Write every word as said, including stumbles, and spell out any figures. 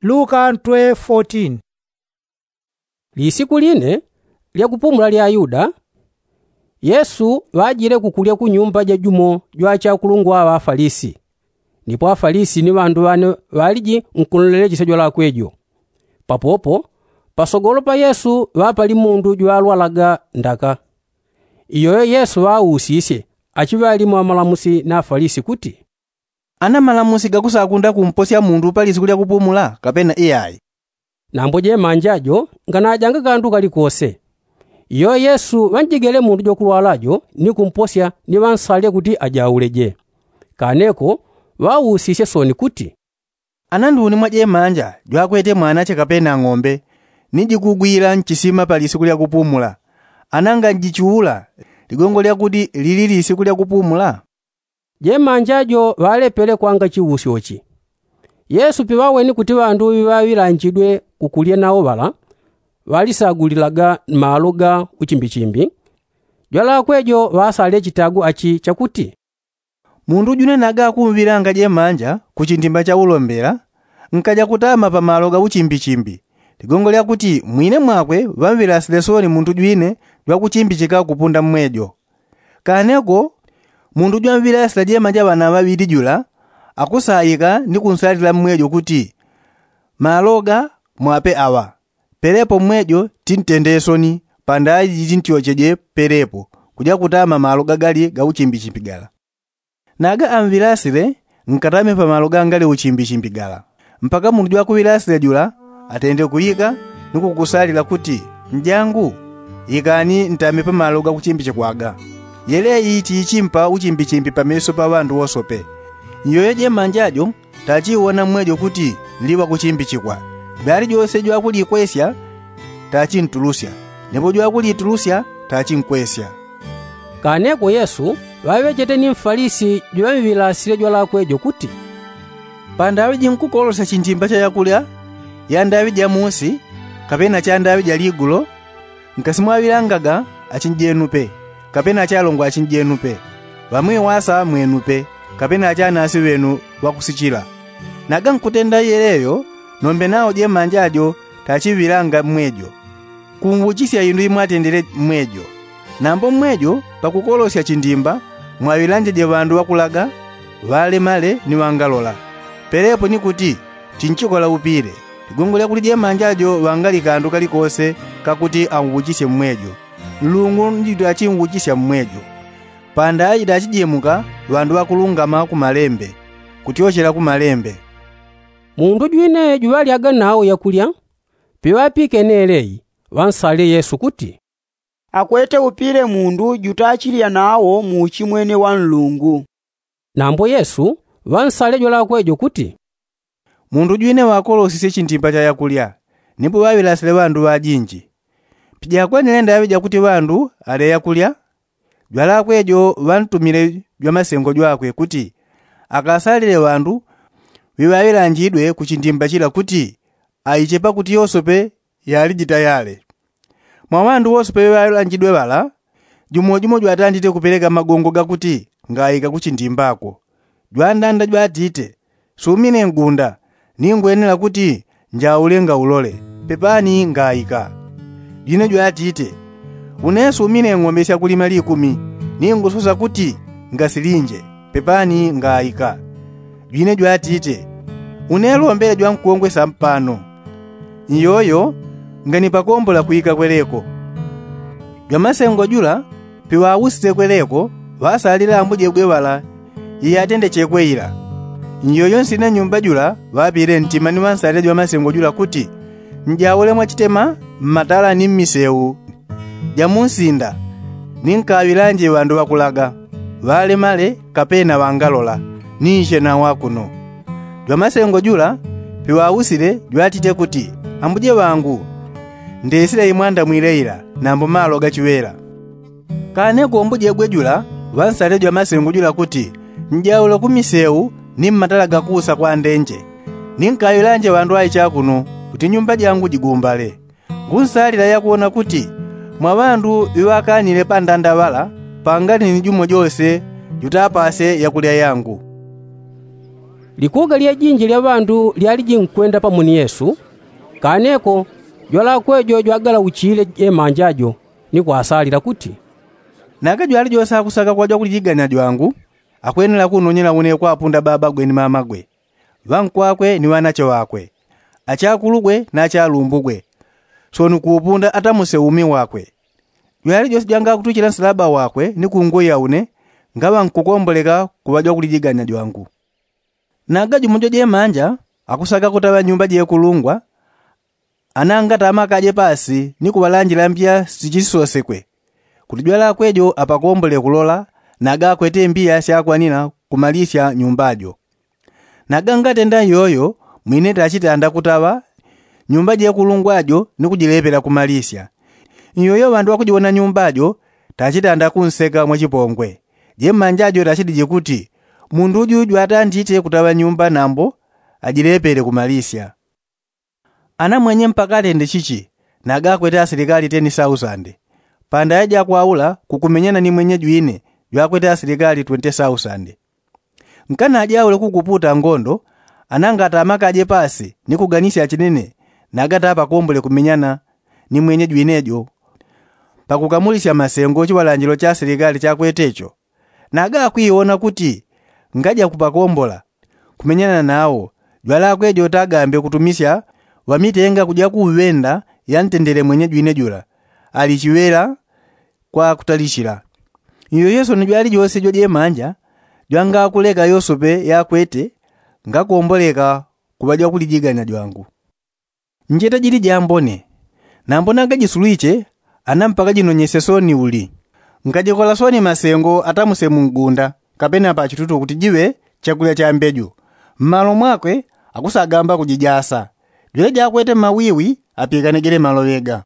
Luka ntwe fotin. Lisiku line lya kupumula lya ayuda, yesu ŵajile kukulya ku nyumba ja jumo jwa achakulungwa ŵa afalisi. Ndipo afalisi ni ŵandu ŵane ŵaliji nkuloleleche syajwalakwe jo. Papopo pasogolo pa yesu ŵapali mundu jwalwalaga ndaka. Iyoyo yesu ŵausisye achiŵalimu amalamusi na afalisi kuti, ana malamusi gakusakunda kumposya mundu pa lisiku lya kupumula kapena iyai? Nambo jemanja jo nganajanga kandu kalikose. Iyo yesu ŵanjegele mundu jwakulwala jo ni kumposya ni ŵansalile kuti ajauleje. Kaneko ŵausisye sooni kuti, ana nduni mwa jemanja jwakwete mwanache kapena ng'ombe ni jikugwila nchisima pa lisiku lya kupumula, ana nganjichuula ligongo lyakuti lili lisiku lya kupumula? Jemanja jo ŵalepele kwanga chiusyo chi. Yesu piŵaweni kuti ŵandu ŵiŵaŵilanjidwe kukulya nawo ŵala ŵalisagulilaga malo ga uchimbichimbi, jwalakwe jo ŵasalile chitagu achi chakuti, mundu jwine naga akumvilanga jemanja ku chindimba cha ulombela nkaja kutama pa malo ga uchimbichimbi, ligongo lyakuti mwine mwakwe ŵamvilasile sooni mundu jwine jwakuchimbichika kupunda mmwejo. Kaneko mundu jwamvilasila jemanja ŵana ŵaŵili jula akusaika ni kunsalila mmwejo kuti, malo ga mwape aŵa, pelepo mmwejo tintende soni panda aji jitintyocheje pelepo kuja kutama malo gagali ga uchimbichimbi gala. Naga amvilasile nkatame pa malo gangali uchimbichimbi gala mpaka mundu jwakuvilasile jula atende kuika ni kukusalila kuti, njangu, ikani ntame pa malo ga kuchimbichikwaga. Yele iyi chiichimpa uchimbichimbi pa meso pa ŵandu wosope. Nyoyo jemanja jo tachiwona mmwejo kuti nli ŵakuchimbichikwa. Jwalijose jwakulikwesya tachintulusya, nepo jwakulitulusya tachinkwesya. Kaneko yesu ŵaŵechete ni mfalisi jwaŵilasile jwalakwe jo kuti, pandaŵi jinkukolosya chindimba cha yakulya ya ndaŵi ja musi kapena cha ndaŵi ja ligulo, nkasimwaŵilangaga achinjenupe kapena achalongwa achinjenupe, ŵamwiwasa mwenupe kapena achanasi ŵenu ŵakusichila. Naga nkutenda yeleyo nombe nawo jemanja jo tachiŵilanga mmwejo. Kunwuchisya indu imwatendele mmwejo. Nambo mmwejo pakukolosya chindimba mwaŵilanjeje ŵandu ŵakulaga, ŵalemale ni ŵangalola. Pelepo ni kuti, chinchikola upile. Ligongo lyakuti jemanja jo ŵangali kandu kalikose kakuti anwuchisye mmwejo. Nlungu ni jutachiwuchisya mmwejo. Pandaŵi jitachijemuka ŵandu ŵakulungama ku malembe kutyochela ku malembe. Mundu jwine juŵalyaga nawo yakulya piŵapikene yeleyi ŵansalile yesu kuti, akwete upile mundu jutachilya nawo mu uchimwene wa nlungu. Nambo yesu ŵansalile jwalakwe jo kuti, mundu jwine ŵakolosisye chindimba cha yakulya nipo ŵaŵilasile ŵandu ŵajinji. Pijakwenile ndaŵi jakuti ŵandu ale yakulya, jwalakwe jo ŵantumile jwamasengo jwakwe kuti akasalile ŵandu ŵiŵaŵilanjidwe ku chindimba chila kuti aiche pakuti yosope yaliji tayale. Mwa ŵandu wosope ŵiŵaŵilanjidwe ŵala jumo jumo jwatandite kupeleka magongo gakuti ngaika ku chindimbako. Jwandanda jwatite, sumine ngunda, ningwenela kuti njaule ngaulole, pepani ngaika. Jwine jwatite, une sumine ng'ombe syakulima likumi, ningusosa kuti ngasilinje, pepani ngaika. Jwine jwatite, une lombele jwankongwe sampano. Nyoyo nganipakombola kwika kweleko. Jwamasengo jula piŵausite kweleko ŵasalile ambujebwe ŵala iyatendechekwe ila. Nyoyo nsina nyumba jula ŵapile ntima ni ŵansalile jwamasengo jula kuti, njaule mwachitema mmatala ni mmiseu, jamunsinda, ninkaŵilanje ŵandu ŵakulaga, ŵalemale kapena ŵangalola, ninche nawo akuno. Jwamasengo jula piŵausile jwatite kuti, ambuje ŵangu, ndesile imwandamwile ila nambo malo gachiŵela. Kane kumbujegwe jula ŵansalile jwamasengo jula kuti, njaule ku miseu ni mmatala gakuusa kwa ndenje, ninkaŵilanje ŵandu aicha kuno kuti nyumba jangu jigumbale. Ngunsalila yakuwona kuti mwa ŵandu ŵiŵakanile pandanda ŵala pangali ni jumo jose jutapase yakulya yangu. Likuga lyajinji lya ŵandu lyali jinkwenda pamo ni yesu. Kaneko jwalakwe jo jwagalauchile jemanja jo ni kwasalila kuti, naga jwali jose akusaka kuŵa jwakulijiganya jwangu, akwenela kunonyela une kwapunda babagwe ni mamagwe, ŵankwakwe ni ŵanache ŵakwe, achakulugwe na achalumbugwe, soni kuupunda atamuse umi wakwe. Jwali jose jwangakutwichila nsalaba wakwe ni kungoya une, ngaŵa nkukomboleka kuŵa jwakulijiganya jwangu. Naga jumo jwajemanja akusaka kutaŵa nyumba jekulungwa, anangata amakaje pasi ni kuŵalanjila mbiya sichisosekwe, kuti jwalakwe jo apakombole kulola, naga akwete mbiya syakwanila kumalisya nyumba jo. Naga ngatenda iyoyo, mwine tachitanda kutaŵa nyumba jekulungwa jo ni kujilepela kumalisya. Iyoyo ŵandu ŵakujiwona nyumba jo tachitanda kunseka mwachipongwe. Jemanja jo tachidije kuti, mundu uju jwatandite kutaŵa nyumba nambo ajilepele kumalisya. Anamwenye mpaka atende chichi, naga akwete asilikali teni sausande. Pandaya jakwaula kukumenyana ni mwenye jwine, jwakwete asilikali twente sausande. Nkanajaule kukuputa ngondo, anangata amakaje pasi ni kuganisya chinene, naga tapakombole kumenyana ni mwenye jwine jo, pakukamulisya masengo chiŵalanjilo cha asilikali chakwete cho. Naga akwiwona kuti ngaja kupakombola kumenyana nawo, jwalakwe jo tagambe kutumisya ŵamitenga kuja kuŵenda yantendele mwenye jwine jula, ali chiŵela kwa kutalichila. Iyo yesoni jwali jose jwajemanja jwangakuleka yosope yakwete ngakomboleka kuŵa jwakulijiganya jwangu. Njeta jili jambone, nambo nangajisulwiche, ana mpaka jinonyesye soni uli. Nkajikola soni masengo atamuse mungunda kapena pachitutu kuti jiŵe chakulya cha mbeju. Mmalo mwakwe akusagamba kujijasa. Jwele jakwete mawiwi apikane jele maloŵe ga.